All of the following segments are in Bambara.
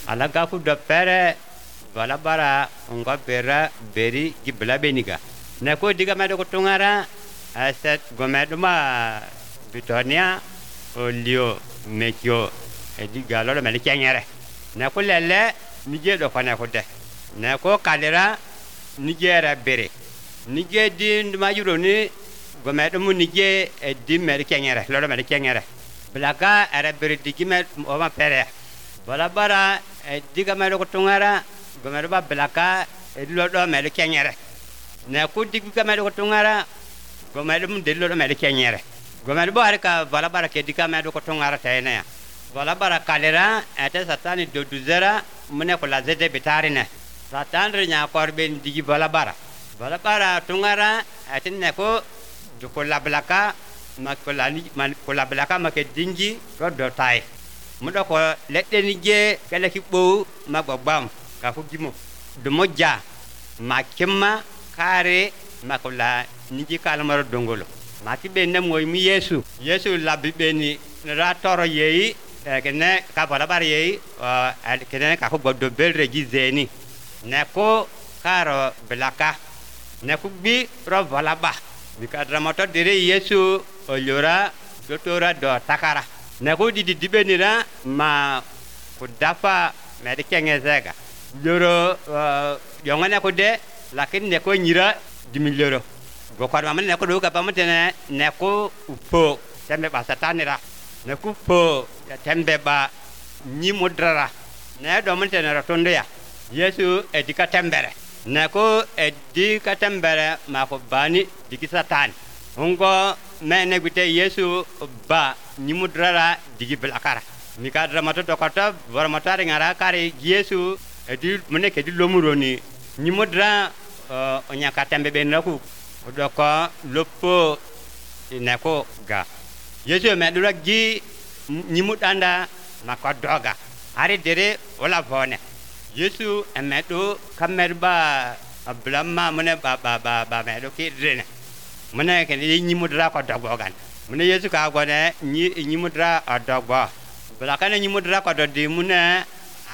Alagafu do pere valabara ngo bera beri gibla beniga. Neko diga medo kutungara aset gomeduma Bitonia olio mekio ediga lolo meli kenyere. Neko lele nije do kone kude. Neko kalera nije bere. Nije di ndumajuro ni gomedumu nije edi meli kenyere lolo meli kenyere. Belaka era bere digi me oma pere. Balabara diga medo kutungara gomeduba belaka edi lolo meli kenyere. Neko diga medo kutungara gomedumu de lolo meli kenyere. Gomeduba harika balabara ke diga medo kutungara tene. Balabara kalera ete satani doduzera mune kula zede bitarine. Satan rinya korben digi balabara. Balabara tungara ete neko dukola belaka makola belaka make dingi rodotai. Mudo ko lette nije kele kibbo magbam ka fugimo. Dumoja makima kare makola niji kalmaro dongolo. Mati benne moy mi Yesu. Yesu labi beni ra toro yeyi kene ka balabara yeyi kene ka ko goddo belre gizeni. Neko karo belaka. Neko bi ro valaba. Bikadramoto dire Yesu oliora dotora do takara. Neko didi dibenira ma kudafa medikengezega. Loro yongane ko de lakin neko nyira dimiloro. Gokar mamane neko do ka pamutene neko upo tembe ba satanira. Neko po tembe ba nyimudrara. Ne do mutene rotondo ya. Yesu edika tembere. Neko edika tembere ma ko bani digi satan. Ungo mene gute Yesu ba nyimudrara digi belakara. Mikadra mato dokota vormata ngara kare Yesu edi mene ke di lomuroni nyimudra onyaka tembe benaku odoko lopo neko ga. Yesu medura gi nyimudanda makodoga. Ari dere ola vone. Yesu emedo kamerba ablama mene ba ba ba ba medo ki rene. Mene ke nyimudra kodogogan. Mene Yesu ka gone nyimudra odogbo. Belakane nyimudra kododi mune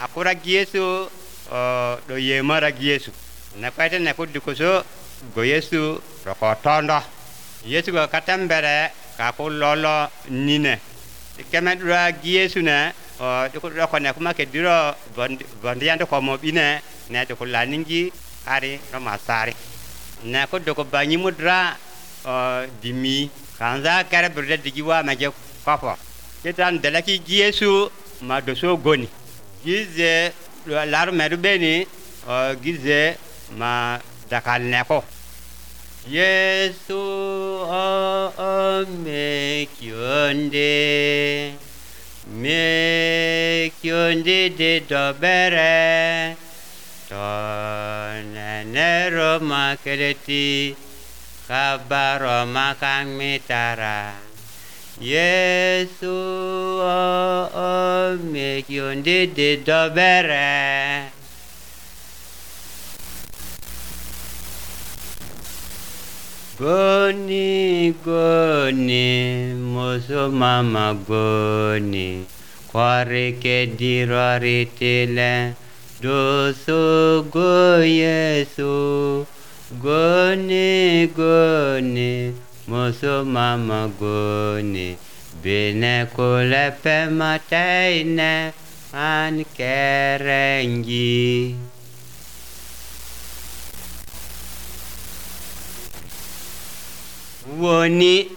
akura Yesu do yemara Yesu. Nekwete neko dikoso go Yesu rokotondo. Yesu go katembere ka ko lolo nine. Kemedra Yesu ne diko kuma ke diro bondiando komo bine ne diko laningi ari romasari. Neko doko banyimudra dimi kanza kare burde digiwa maje kopo. Ketan delaki Yesu ma doso goni. Gize laru merubeni gize ma dakal neko. Yesu o mekionde mekionde de dobere tonenero makeleti kabaro makangmitara. Yesu o mekionde de dobere. Goni goni moso mama goni kware ke dirori tele doso go Yesu. Goni goni moso mama goni bene kole pe mataine an kerengi. Woni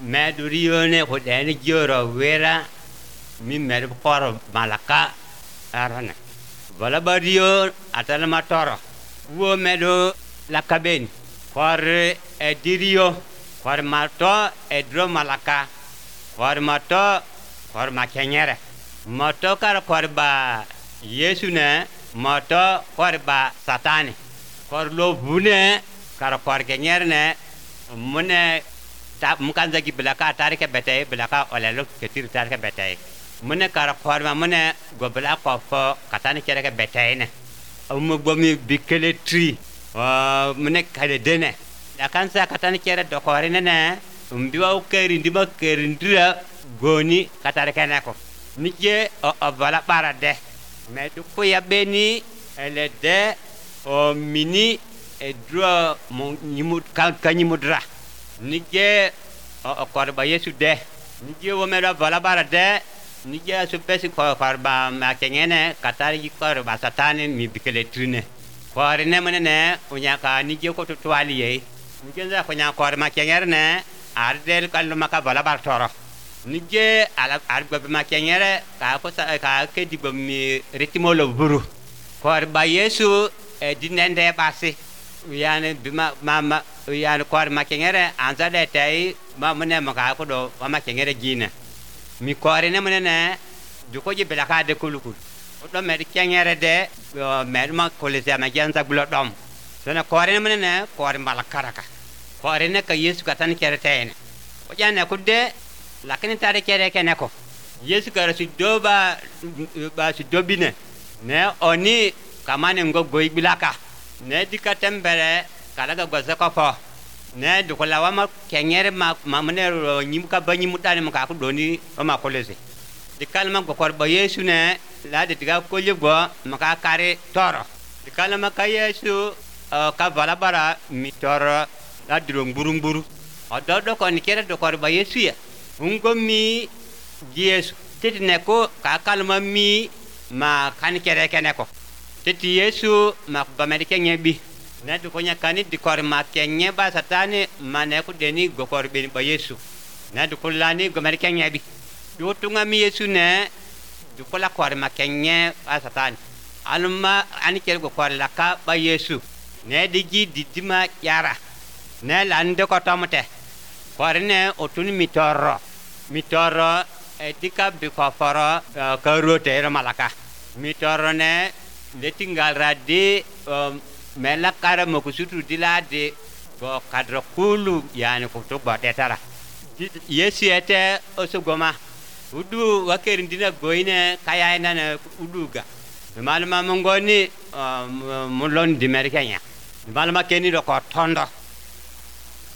medurione kodeni joro wera mi medu koro malaka arana. Balabario atala matoro. Wo medu lakaben kor edirio kor mato edro malaka kor mato kor makenyere. Mato kar kor ba Yesu ne mato kor ba satani. Kor lo bune kar kor kenyere ne mune ta mukanza ki belaka tarike bete belaka olelo ketir tarike bete. Mune kar korma mune gobla kofo katani kereke bete ne. Umu gomi bikele tri mune kale dene. Akansa katani kere dokore ne umbiwa ukeri ndima kerindira goni katarike nako. Nije o bala parade. Medukuya beni elede o mini edro kanyimudra nije o korba Yesu de nije wo mera vala de nije asupesi korba makengene katari korba satani mi bikeletrine korine menene unyaka nije ko tutwali ye nije za konya korma kengerne ardel kallu maka vala bar toro nije ala argba makengere ka ko ka ke dibo mi ritimolo buru korba Yesu dinende basi yani bima mama yani kor makengere anzale tai mamune maka ko do makengere gina mi korine munene duko ji belaka de kulukul do mer kengere de mer ma kolese ma janza gulo dom sona korine munene kor malakaraka korine ka Yesu katan kere tayne o jana ko de lakini tare kere kene ko Yesu kare su doba ba su dobine ne oni kamane ngo goy bilaka ne dikatembere kalaga goze ko ne dukola wama kengere ma mamne nyimuka banyi mutane maka ko doni ma kolese dikalma go korba Yesu ne la de diga kolye go maka kare toro dikalma ka Yesu ka vala bara mi toro la duro nguru nguru ododo ko nikere do korba Yesu ya ungo mi Yesu titi ne ko ka kalma mi ma kan kere kene ko titi Yesu ma ba medike nyebi ne du konya kani dikor ma kenye ba satani ma ne ko deni gokor beni ba Yesu ne du kulani go medike nyebi du tunga mi Yesu ne du kola kor ma kenye ba satani alma ani ker gokor la ka ba Yesu ne digi didima yara ne lande ko tomte korne otun mitoro mitoro etika bikoforo karote malaka mitoro ne letingal radi mela kara mokusutu dilade go kadro kulu yani ko to ba tetara Yesu ete osogoma udu wakerindina goine kaya na uduga malama mongoni mulon di merkenya malama keni do ko tondo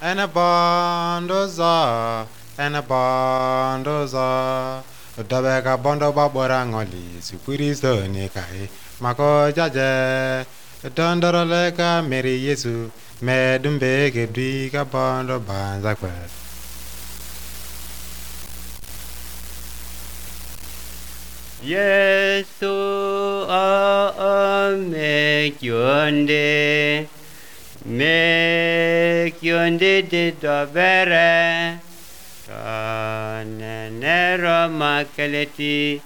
ena bondoza ena bondoza dabeka bondo babora ngoli Yesu ni kai mako jaje dondoroleka meri Yesu medumbe ke dika bondo banza kwe Yesu o me kyonde de dobere tonenero makeleti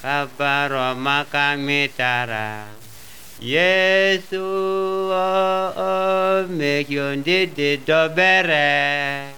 kabaro makamitara Yesu o me kyonde de dobere.